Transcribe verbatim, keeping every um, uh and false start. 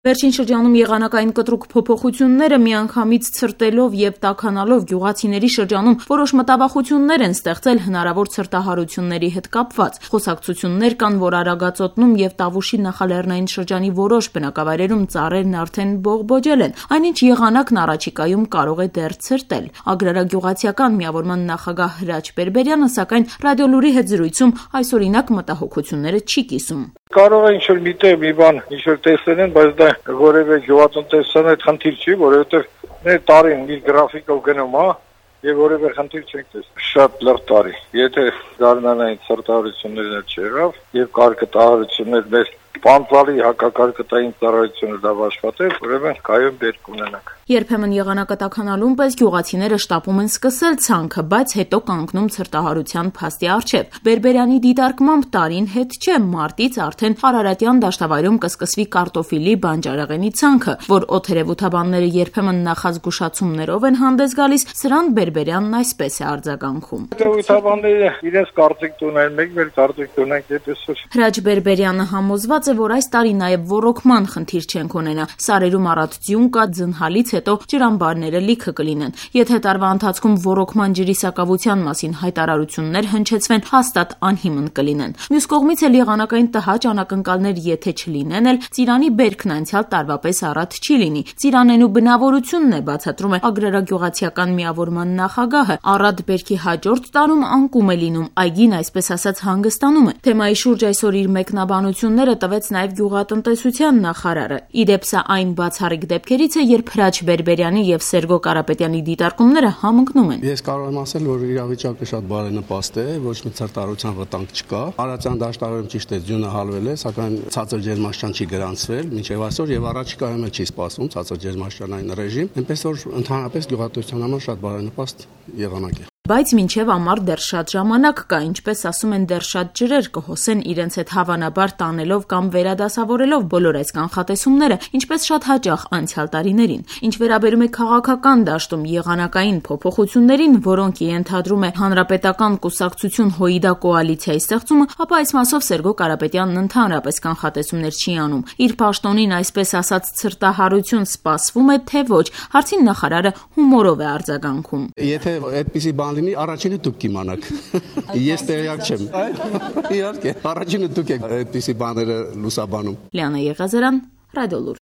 Վերջին շրջանում եղանակային կտրուկ փոփոխությունները միանգամից ցրտելով եւ տաքանալով գյուղացիների շրջանում որոշ մտավախություններ են ստեղծել հնարավոր ցրտահարությունների հետ կապված։ Խոսակցություններ կան, որ Արագածոտնում եւ Տավուշի նախալեռնային շրջանի որոշ բնակավայրերում ծառերն արդեն բողբոջել են, այնինչ եղանակն առաջիկայում կարող է դեռ ցրտել։ Ագրարագյուղացիական միավորման նախագահ Հրաչ Բերբերյանը սակայն Ռադիոլուրի հետ զրույցում այսօրինակ մտահոգությունները չի կիսում։ Կարող է ինչ-որ միտեղ մի բան ինչ-որ տեսնել են, բայց դա որևէ գյուղատնտեսության հետ խնդիր չի, որովհետև մեր տարին իր գրաֆիկով գնում է եւ որևէ խնդիր չենք տեսնում։ Շատ լրտ տարի։ Եթե գարնանային ցրտահարություններն չեղավ եւ կարկտահարություններ մեր Պանծալի հակակարկտային ծառայությունը դա աշխատել, ուրեմն կայուն դեր կունենանք։ Երբեմն եղանակը տաքանալուն պես գյուղացիները շտապում են սկսել ցանքը, բայց հետո կանգնում ցրտահարության փաստի առջև։ Բերբերյանի դիտարկմամբ տարին հետ չէ, մարտից արդեն Արարատյան դաշտավայրում կսկսվի կարտոֆիլի բանջարեղենի ցանքը, որ օթերևութաբանները երբեմն նախազգուշացումներով են հանդես գալիս, սրան Բերբերյանն այսպես է արձագանքում։ Օթերևութաբանները իրենց կարծիք ունեն, մենք մեր կարծիք ունենք, այդպես։ Հրաչ Բերբերյանը համոզված է, որ այս տարի նաև ոռոգման խնդիր չենք ունենա։ Սարերում առատ ձյուն կա, ձնհալից հետո ջրամբարները լիքը կլինեն։ Եթե տարվա ընթացքում ոռոգման ջրի սակավության մասին հայտարարություններ հնչեցվեն, հաստատ անհիմն կլինեն։ Մյուս կողմից էլ եղանակային տհաճ անակնկալներ եթե չլինեն էլ, ծիրանի բերքն անցյալ տարվա պես առատ չի լինի։ Ծիրանենու բնավորությունն է, բացատրում է Ագրարագյուղացիական միավորման նախագահը։ Առատ բերքի հաջորդ տարում անկում է լինում, այգին այսպես ասած հանգստանում է։ Թեմայի շուրջ այսօր իր մեկնաբանությունները տվեց նաև գյուղատնտեսության նախարարը։ Իդեպ սա այն բացառիկ դեպքերից է, երբ Հրաչ Բերբերյանի եւ Սերգո Կարապետյանի դիտարկումները համընկնում են։ Ես կարող եմ ասել, որ իրավիճակը շատ բարենպաստ է, ոչ մի ցրտահարության վտանգ չկա։ Արարատյան դաշտավայրում ճիշտ է, ձյունը հալվել է, սակայն ցածր ջերմաստիճան չի գրանցվել մինչև այսօր եւ առաջիկայում էլ չի սպասվում ցածր ջերմաստիճանային ռեժիմ, այնպես որ ընդհանրապես գյուղատնտեսության համար շատ բարենպաստ եղանակ է։ Բայց մինչև ամառ դեռ շատ ժամանակ կա, ինչպես ասում են, դեռ շատ ջրեր կհոսեն իրենց հետ հավանաբար տանելով կամ վերադասավորելով բոլոր այս կանխատեսումները, ինչպես շատ հաճախ անցյալ տարիներին։ Ինչ վերաբերում է քաղաքական դաշտում եղանակային փոփոխություններին, որոնք ենթադրում է հանրապետական կուսակցություն ՀՅԴ կոալիցիայի ստեղծումը, ապա այս մասով Սերգո Կարապետյանն ընդհանրապես կանխատեսումներ չի անում։ Իր պաշտոնին այսպես ասած ցրտահարություն սպասվում է, թե ոչ, հարցին նախարարը հումորով է արձագանքում։ Եթե այդպիսի բան լինի, առաջինը դուք կիմանաք։ Ես տեղյակ չեմ։ Իհարկե, առաջինը դուք եք այդպիսի բաները լուսաբանում։ Լիանա Եղազարյան, Ռադիոլուր։